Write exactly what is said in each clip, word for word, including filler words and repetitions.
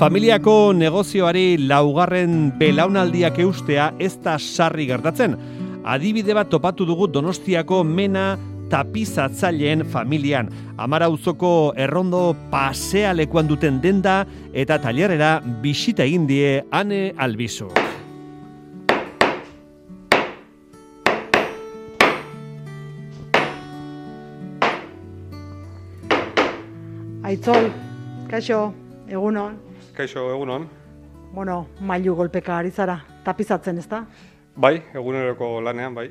Familiako negozioari laugarren belaunaldiak eustea ez da sarri gertatzen. Adibide bat topatu dugu Donostiako Mena tapizatzaileen familian. Amara auzoko errondo pasealekuan duten denda eta tailerrera bisita egin die Ane Albizu. Aitzol, kaixo, egunon. Kaixo, egunon. Bueno, mailu golpeka ari zara, tapizatzen, ezta? Bai, eguneroko lanean, bai.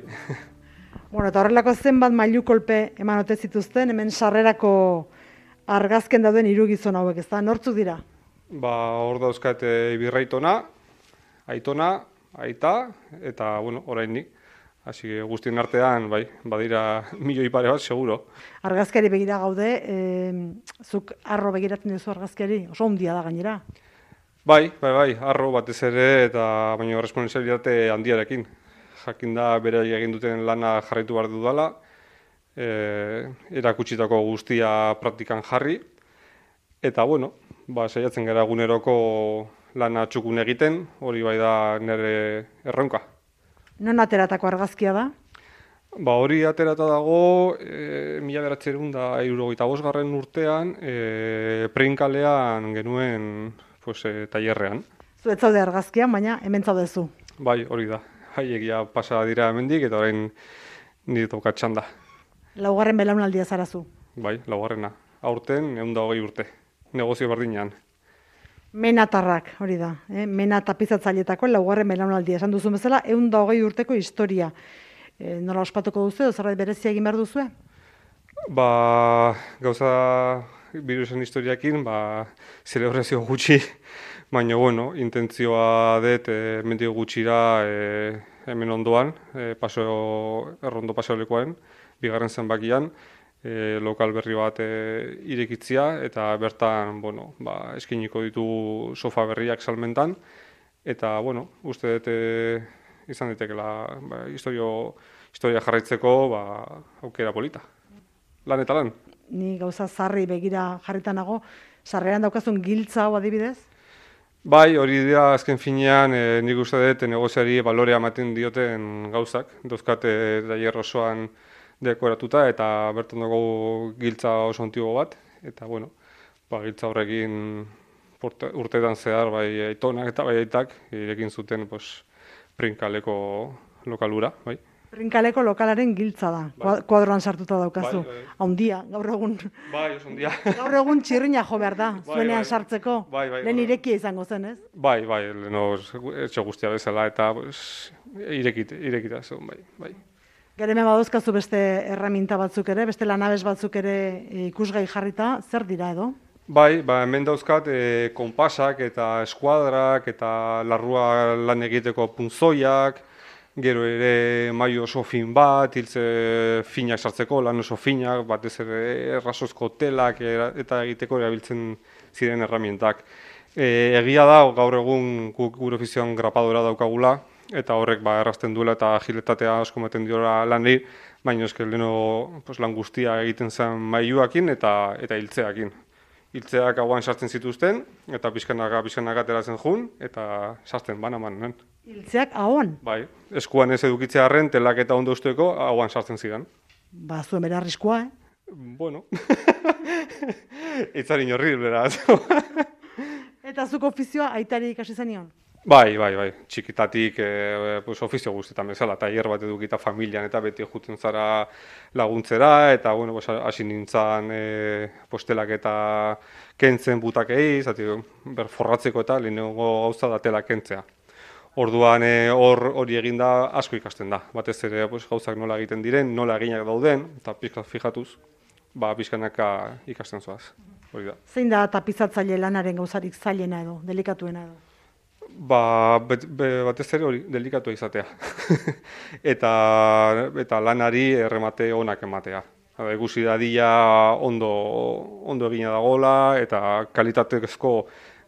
Bueno, eta horrelako zenbat mailu kolpe eman ote zituzten, hemen sarrerako argazken dauden hiru gizon hauek, ezta? Nortzuk dira? Ba, hor dauzkat Ibirraitona, Aitona, Aita, eta, bueno, orain nik. Hasi guztien artean, bai, badira milioi pare bat, seguro. Argazkiari begira gaude, e, zuk arro begiratzen duzu argazkiari, oso handia da gainera. Bai, bai, bai, arro batez ere, eta baina responsabilitate handiarekin. Jakin da bere egin duten lana jarraitu behar dudala, e, erakutsitako guztia praktikan jarri, eta, bueno, ba, saiatzen gara eguneroko lana txukun egiten, hori bai da nire erronka. Non ateratako argazkia da? Ba, hori aterata dago, e, mila bederatziehun eta hirurogeita bosgarren urtean, e, Preinkalean genuen pues, e, tailerrean. Zu ez zaude argazkian, baina hemen zaudezu. Bai, hori da. Haiegia pasa dira hemendik eta orain nire tokatzen da. Laugarren belaunaldia zarazu. Bai, laugarrena. Aurten ehun eta hogei urte. Negozio berdinean. Menatarrak, hori da. Eh? Mena tapizatzailetako laugarren belaunaldia. Esan duzu bezala, ehun eta hogei urteko historia. E, nola ospatuko duzu, edo zerbait berezia egin behar duzue? Ba, gauza birusen historiakin, ba, zelebrazio gutxi, baina, bueno, intentzioa dut, e, mendik gutxira e, hemen ondoan, e, paso, errondo paseolekoen, bigarren zenbakian, e, lokal berri bat e, irekitzia, eta bertan, bueno, ba, eskiniko ditu sofa berriak salmentan, eta, bueno, uste dut e, izan ditekela ba, historio, historia jarraitzeko ba, aukera polita. Lan eta lan. Ni gauza zarri begira jarritan nago, sarreran daukazun giltza hau adibidez? Bai, hori dira azken finean, e, nik uste dut negoziari balorea ematen dioten gauzak. Dauzkate tailer osoan dekoratuta eta bertan dago giltza oso antigo bat. Eta, bueno, ba, giltza horrekin urteetan zehar, bai Aitonak eta bai Aitak, irekin zuten, pues, Preinkaleko lokalura, bai. Preinkaleko lokalaren giltza da, bai. Kuadroan sartuta daukazu. Bai, bai. Haundia, gaur egun. Bai, oso handia. Gaur egun txirrina jo behar da, Bai, zuenean bai. sartzeko. Bai, bai, Lehen bai. irekia izango zen, ez? Bai, bai, leheno etxe guztia bezala eta pues, irekit, irekita zuen, bai, bai. Gero hemen baduzkazu beste erraminta batzuk ere, beste lanabes batzuk ere ikusgai jarrita, zer dira edo? Bai, ba, hemen dauzkat e, konpasak eta eskuadrak eta larrua lan egiteko punzoiak, gero ere maio oso fin bat, hiltze finak sartzeko, lan oso finak, batez ere errasozko telak eta egiteko erabiltzen ziren erramientak. E, egia da, gaur egun gure ofizioan grapadora daukagula, eta horrek ba, errazten duela eta agilitatea asko ematen diora lanei, baina eske leheno pues, lan guztia egiten zen mailuakin eta eta hiltzeakin. Hiltzeak hauan sartzen zituzten, eta pixkanaka, pixkanaka ateratzen jun, eta sartzen banaman. nen. Hiltzeak ahoan? Bai, eskuan ez edukitzea arren, telak eta ondo usteko hauan sartzen zidan. Ba, zuen bera arriskua, eh? Bueno, itzarin horri, beraz. Eta zuk ofizioa aitari ikasi zenion? Bai, bai, bai, txikitatik e, pues, ofizio guztietan bezala, tailer bat edukita familian eta beti juten zara laguntzera, eta bueno, pues, hasi nintzen e, postelak eta kentzen butakei, zati, ber forratzeko eta lehenengo gauza da tela kentzea. Orduan hor hori eginda asko ikasten da, batez ere pues, gauzak nola egiten diren, nola eginak dauden, eta pixka fijatuz, ba, pixkanaka ikasten zoaz, hori da. Zein da tapizatzaile lanaren gauzarik zailena edo, delikatuena edo? Ba, bet, be, batez ere hori, delikatua izatea. eta, eta lanari erremate onak ematea. Ikusi dadila ondo, ondo egina dagoela eta kalitatezko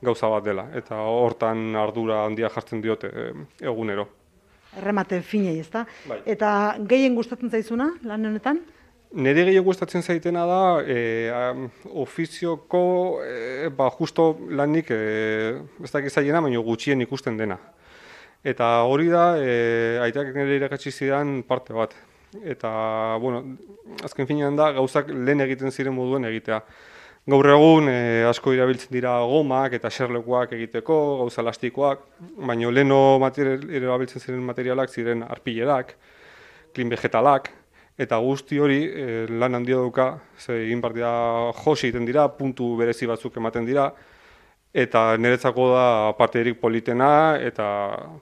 gauza bat dela. Eta hortan ardura handia jartzen diote egunero. Erremate finei, ezta? Bai. Eta gehien gustatzen zaizuna lan honetan? Nire gehiago gustatzen zaitena da, e, um, ofizioko, e, ba, justo lanik, e, ez dakit zailena, baina gutxien ikusten dena. Eta hori da, e, aitak nire irakatsi zidan parte bat. Eta, bueno, azken finean da, gauzak lehen egiten ziren moduen egitea. Gaur egun e, asko irabiltzen dira gomak eta xerlekuak egiteko, gauza elastikoak, baina leheno irabiltzen ziren materialak ziren arpilerak, klin vegetalak, eta guzti hori e, lan handia dauka, ze egin behar dira josi egiten dira, puntu berezi batzuk ematen dira, eta niretzako da parterik politena, eta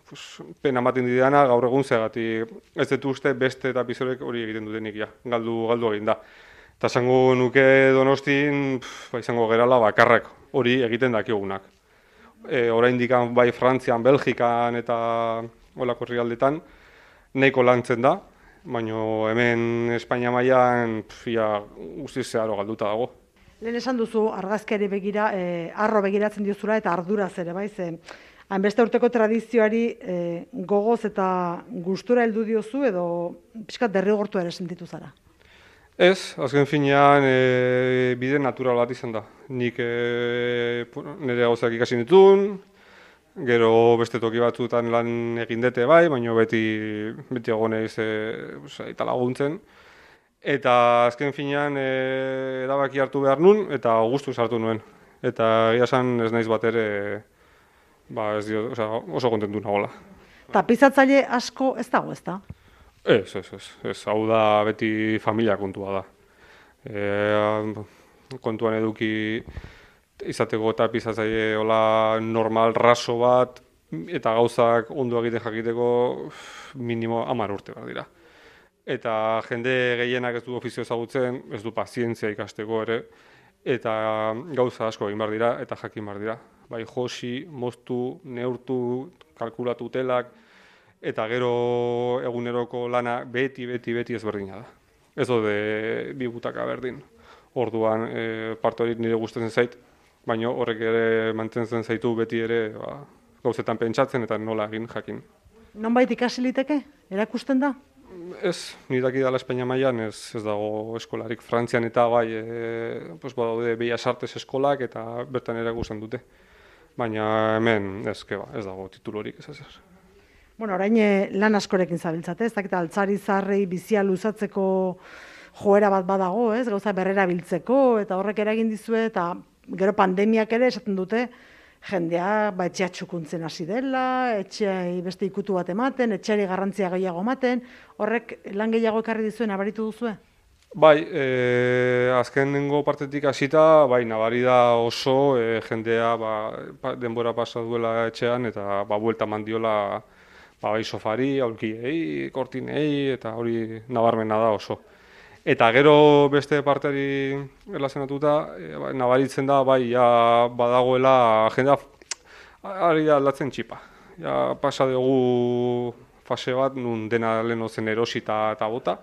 pues, pena ematen didana gaur egun zegatik ez dut uste beste eta pizorek hori egiten dutenik ja, galdu, galdu egin da. Eta esango nuke Donostin, ba, izango gerala bakarrak hori egiten dakigunak. E, oraindik bai Frantzian, Belgikan eta holako herrialdetan nahiko lantzen da, baina hemen Espainia mailan ia guztiz zeharo galduta dago. Lehen esan duzu argazkiari begira, eh, arro begiratzen diozula eta arduraz ere, bai, ze hainbeste urteko tradizioari eh, gogoz eta gustura heldu diozu edo pixkat derrigortu ere sentitu zara? Ez, azken finean e, bide natural bat izan da. Nik e, nire gauzak ikasi ditun, gero beste toki batzuetan lan egin dute bai, baina beti, beti egonez e, eta laguntzen. Eta azken finean e, erabaki hartu behar nun eta gustuz hartu nuen. Eta egia esan ez naiz bat ere ba, ez dio, oza, oso kontentu nagoela. Tapizatzaile asko ez dago, ez da? Ez, ez, ez, ez, hau da beti familia kontua da. E, kontuan eduki izateko tapizatzaile hola normal, raso bat, eta gauzak ondo egiten jakiteko minimo hamar urte behar dira. Eta jende gehienak ez du ofizio ezagutzen, ez du pazientzia ikasteko ere, eta gauza asko egin behar dira, eta jakin behar dira. Bai josi, moztu, neurtu, kalkulatu telak, eta gero eguneroko lana beti, beti, beti ezberdina da. Ez dode bi butaka berdin. Orduan e, parte hori nire gustatzen zait, baina horrek ere mantentzen zaitu beti ere ba, gauzetan pentsatzen eta nola egin jakin. Nonbait ikasi liteke? Erakusten da? Ez, nire dakidala Espainia mailan ez, ez dago eskolarik. Frantzian eta bai, e, pues, badaude Bellas Artes eskolak eta bertan erakusten dute. Baina hemen ez, keba, ez dago titulorik ez ezer. Bueno, orain lan askorekin zabiltzate, ez dakit altzari zarrei bizia luzatzeko joera bat badago, ez? Gauza berrera biltzeko eta horrek eragin dizue eta gero pandemiak ere esaten dute jendea ba etxea txukuntzen hasi dela, etxeai beste ikutu bat ematen, etxeari garrantzia gehiago ematen, horrek lan gehiago ekarri dizuen nabaritu duzue? Bai, e, azkenengo partetik hasita, bai, nabari da oso e, jendea ba, denbora pasa duela etxean eta ba buelta mandiola ba, bai sofari, aulkiei, kortinei, eta hori nabarmena da oso. Eta gero beste parteari erlazionatuta, e, ba, nabaritzen da, bai, ja, badagoela jendea ari da aldatzen txipa. Ja, pasa dugu fase bat, nun dena lehen zen erosita eta bota.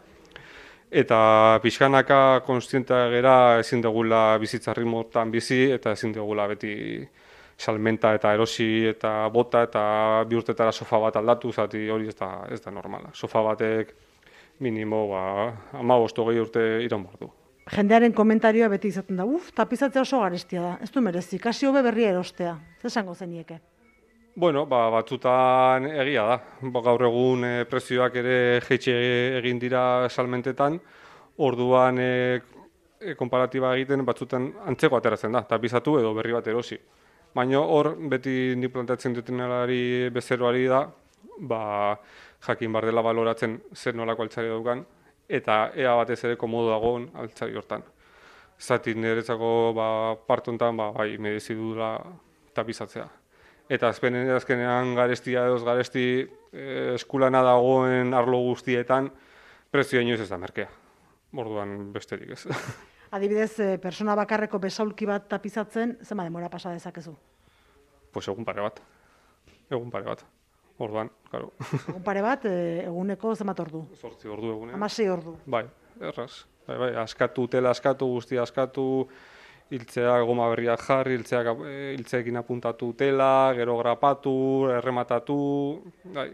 Eta pixkanaka konstientea gera ezin dugula bizitza ritmotan bizi, eta ezin dugula beti salmenta eta erosi eta bota eta bi urtetara sofa bat aldatu, zati hori ez da, ez da normala. Sofa batek minimo ba, hamabost hogei urte iraun behar du. Jendearen komentarioa beti izaten da, uf, tapizatzea oso garestia da, ez du merezi, kasi hobe berria erostea, zer esango zenieke? Bueno, ba, batzutan egia da. Ba, gaur egun e, prezioak ere jeitxe egin dira salmentetan, orduan e, e, konparatiba egiten batzutan antzeko ateratzen da, tapizatu edo berri bat erosi. Baina hor, beti ni planteatzen dutenari bezeroari da, ba, jakin bar dela baloratzen zer nolako altzari daukan, eta ea batez ere komodo dagoen altzari hortan. Zati niretzako ba, partontan ba, bai, merezi dudala tapizatzea. Eta azkenean, azkenean garestia edo garesti eh, eskulana dagoen arlo guztietan, prezioa inoiz ez da merkea. Orduan besterik ez. Adibidez, persona bakarreko besaulki bat tapizatzen, zenba denbora pasa dezakezu? Pues egun pare bat. Egun pare bat. Orduan, claro. Egun pare bat, eguneko zenbat ordu? Zortzi ordu egunean. Hamasei ordu. Bai, erraz. Bai, bai, askatu, tela askatu, guztia askatu, hiltzeak goma berriak jarri, hiltzeak, hiltzeekin apuntatu tela, gero grapatu, errematatu, bai.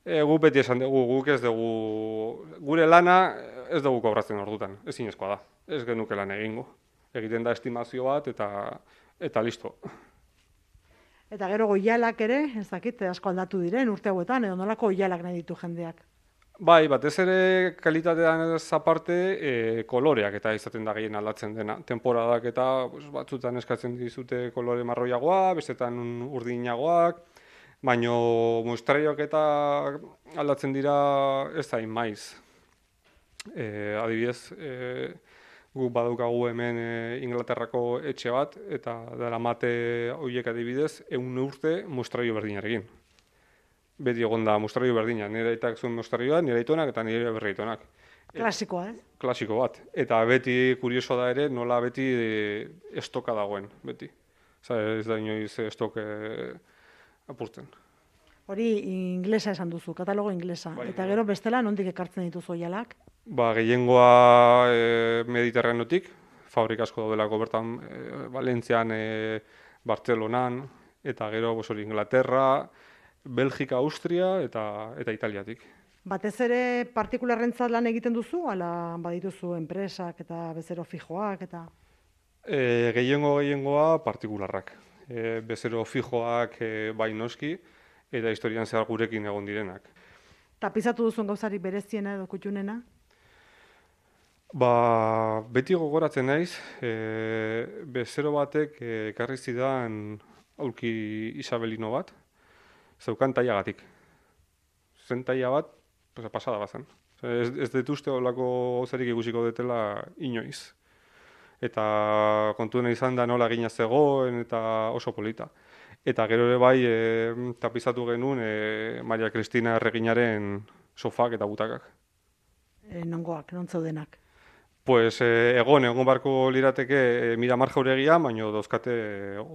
E, gu beti esan dugu, guk ez dugu, gure lana ez dugu kobratzen ordutan, ezinezkoa da, ez genuke lan egingo. Egiten da estimazio bat eta eta listo. Eta gero goialak ere, ez dakit, asko aldatu diren urte hauetan, edo nolako goialak nahi ditu jendeak. Bai, batez ere kalitatean ez aparte e, koloreak eta izaten da gehien aldatzen dena. Temporadak eta pues, batzutan eskatzen dizute kolore marroiagoa, bestetan urdinagoak, baino muestraioak eta aldatzen dira ez da maiz. E, adibidez, e, guk badaukagu hemen e, Inglaterrako etxe bat, eta daramate horiek adibidez, ehun urte muestraio berdinarekin. Beti egon da muestraio berdina, nire aitak zuen muestraioa, nire aitonak eta nire berri aitonak. Klasikoa, eh? Klasiko bat. Eta beti kurioso da ere, nola beti e, estoka dagoen, beti. Osa, ez da inoiz estok e, apurtzen. Hori inglesa esan duzu, katalogo inglesa. Bai, eta bai. gero bestela nondik ekartzen dituzu oialak? Ba, gehiengoa e, Mediterraneotik, fabrik asko daudelako bertan e, Valentzian, e, Bartzelonan, eta gero bos, hori, Inglaterra, Belgika, Austria eta eta Italiatik. Batez ere partikularrentzat lan egiten duzu, ala badituzu enpresak eta bezero fijoak eta... E, gehiengo gehiengoa partikularrak. E, bezero fijoak e, bai noski, eta historian zehar gurekin egon direnak. Tapizatu duzun gauzarik bereziena edo kutxunena? Ba, beti gogoratzen naiz, e, bezero batek e, ekarri zidan aulki isabelino bat, zeukan tailagatik. Zen taila bat, pues, pasada bazen. Ez, ez dituzte olako gauzarik ikusiko detela inoiz. Eta kontuena izan da nola egina zegoen eta oso polita. Eta gero ere bai e, tapizatu genuen e, Maria Cristina erreginaren sofak eta butakak. E, nongoak, non zeudenak? Pues eh, egon, egon barko lirateke eh, Miramar jauregia, baino dauzkate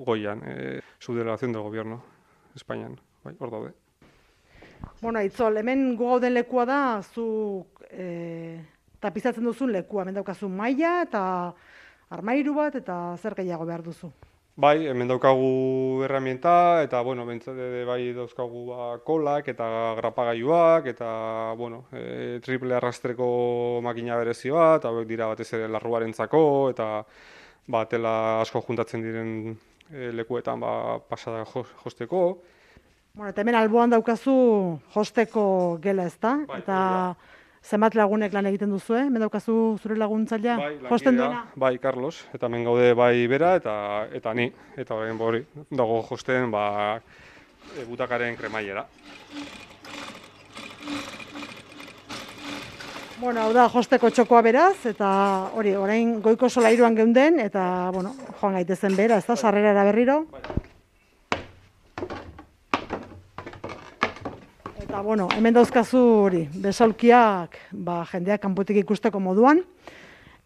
goian, eh, su delegación del gobierno, Espainian, bai, hor daude. Bueno, Aitzol, hemen gu gauden lekua da, zu e, tapizatzen duzun lekua, hemen daukazu maila eta armairu bat eta zer gehiago behar duzu. Bai, hemen daukagu herramienta, eta, bueno, bentsate bai dauzkagu ba, kolak eta grapagailuak, eta, bueno, e, triple arrastreko makina berezi bat, hauek dira batez ere larruarentzako, eta ba, tela asko juntatzen diren e, lekuetan ba, pasada josteko. Bueno, eta hemen alboan daukazu josteko gela, ezta? Bai, eta zenbat lagunek lan egiten duzu, eh? Hemen daukazu zure laguntzailea, bai, josten lankidea, duena? Bai, Carlos, eta hemen gaude bai bera eta eta ni, eta orain hori dago josten ba e, butakaren kremailera. Bueno, hau da josteko txokoa beraz, eta hori, orain goiko solairuan geunden, eta, bueno, joan gaitezen bera, ez da, sarrerara berriro. Eta, bueno, hemen dauzkazu hori, besaulkiak, ba, jendeak kanpotik ikusteko moduan.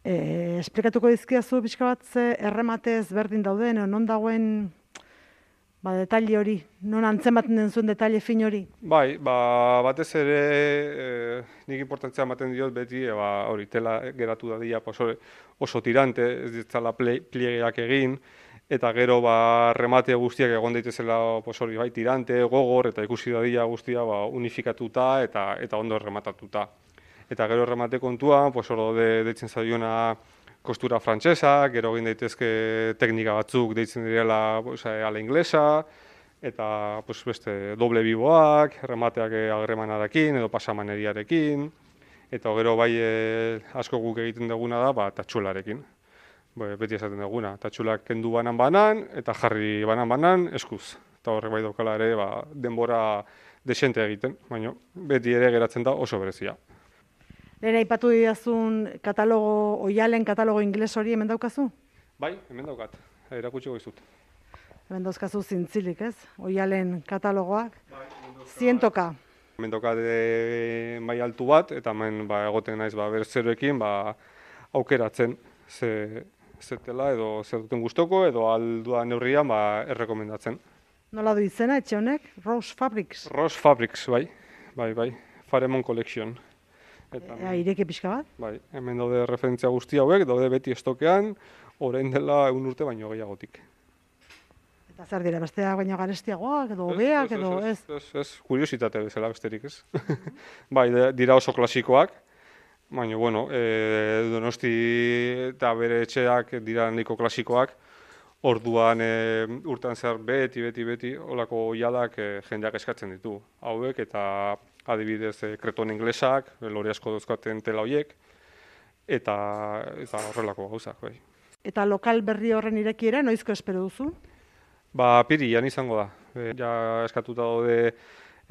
E, esplikatuko dizkiazu pixka bat ze errematez berdin dauden, non dagoen ba, detalle hori, non antzematen den zuen detalle fin hori? Bai, ba, batez ere e, nik importantzia ematen diot beti, e, ba, hori, tela geratu dadia oso, oso tirante, ez ditzala pliegeak egin, eta gero ba, remate guztiak egon daitezela pues, hori, bai, tirante, gogor, eta ikusi dadia guztia ba, unifikatuta eta eta ondo rematatuta. Eta gero remate kontua, pues, hor de, deitzen zaiona kostura frantsesa, gero egin daitezke teknika batzuk deitzen direla pues, ala inglesa, eta pues, beste doble biboak, remateak agremanarekin edo pasamaneriarekin, eta gero bai e, asko guk egiten duguna da ba, tatxularekin. Beti esaten duguna, tatxulak kendu banan-banan eta jarri banan-banan eskuz. Eta horrek bai daukala ere ba, denbora desente egiten, baina beti ere geratzen da oso berezia. Lehen aipatu didazun katalogo, oialen katalogo ingles hori hemen daukazu? Bai, hemen daukat, erakutsiko dizut. Hemen dauzkazu zintzilik, ez? Oialen katalogoak. Zientoka. Hemen daukat e, mai altu bat, eta hemen ba, egoten naiz ba, berzeroekin ba, aukeratzen ze, zetela edo zer duten gustoko edo aldua neurrian ba, errekomendatzen. Nola du izena etxe honek? Rose Fabrics. Rose Fabrics, bai, bai, bai, Faremon Collection. Eta, e, ireki pixka bat? Bai, hemen daude referentzia guzti hauek, daude beti estokean, orain dela egun urte baino gehiagotik. Eta zer dira, besteak baina garestiagoak, edo hobeak, edo ez? Ez, ez, ez, kuriositate bezala besterik ez. Bai, dira oso klasikoak, baina, bueno, e, Donosti eta bere etxeak dira nahiko klasikoak, orduan e, urtean zehar beti, beti, beti, olako oialak e, jendeak eskatzen ditu. Hauek eta adibidez e, kreton inglesak, lore asko dauzkaten tela hoiek, eta, eta horrelako gauzak, bai. Eta lokal berri horren irekiera, noizko espero duzu? Ba, apirian izango da. E, ja eskatuta daude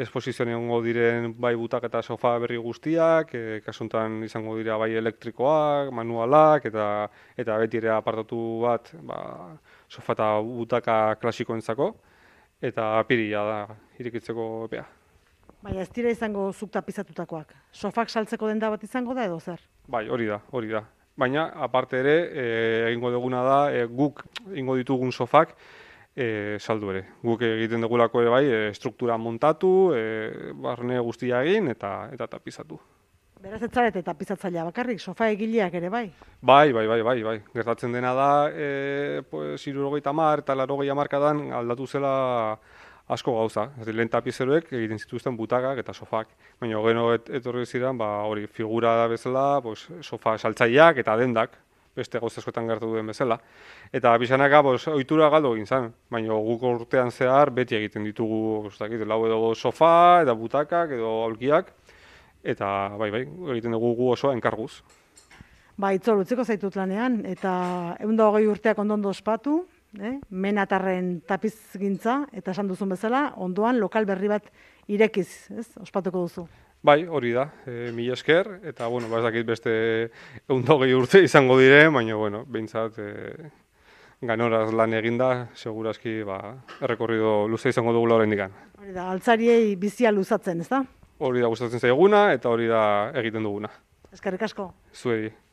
esposizioan egongo diren bai butak eta sofa berri guztiak, e, kasuntan izango dira bai elektrikoak, manualak, eta eta beti ere apartatu bat ba, sofa eta butaka klasikoentzako, eta apirila da irekitzeko epea. Baina ez dira izango zuk tapizatutakoak. Sofak saltzeko denda bat izango da edo zer? Bai, hori da, hori da. Baina, aparte ere, e, egingo duguna da, e, guk egingo ditugun sofak, e, saldu ere. Guk egiten dugulako ere bai, e, struktura montatu, e, barne guztia egin eta eta tapizatu. Beraz ez zarete tapizatzailea bakarrik, sofa egileak ere bai? Bai, bai, bai, bai, bai. Gertatzen dena da, e, pues, hirurogeita hamar eta laurogei hamarkadan aldatu zela asko gauza. Lehen tapizeroek egiten zituzten butakak eta sofak. Baina gero et, etorri ziren, ba, hori figura da bezala, pues, sofa saltzaileak eta dendak, beste gauza askotan gertu duen bezala. Eta pixanaka, pues, ohitura galdu egin zen. Baina guk urtean zehar beti egiten ditugu, ez dakit, lau edo sofa, eta butakak, edo aulkiak. Eta bai, bai, egiten dugu gu oso enkarguz. Ba, Itzol, utziko zaitut lanean, eta ehun eta hogei urteak ondondo ospatu, eh? Menatarren tapizgintza, eta esan duzun bezala, ondoan lokal berri bat irekiz, ez? Ospatuko duzu. Bai, hori da, e, mila esker, eta, bueno, ba, ez dakit beste ehun eta hogei urte izango diren, baina, bueno, behintzat, e, ganoraz lan eginda, segurazki, ba, errekorrido luze izango dugula oraindik. Hori da, altzariei bizia luzatzen, ez da? Hori da gustatzen zaiguna, eta hori da egiten duguna. Eskerrik asko. Zuei.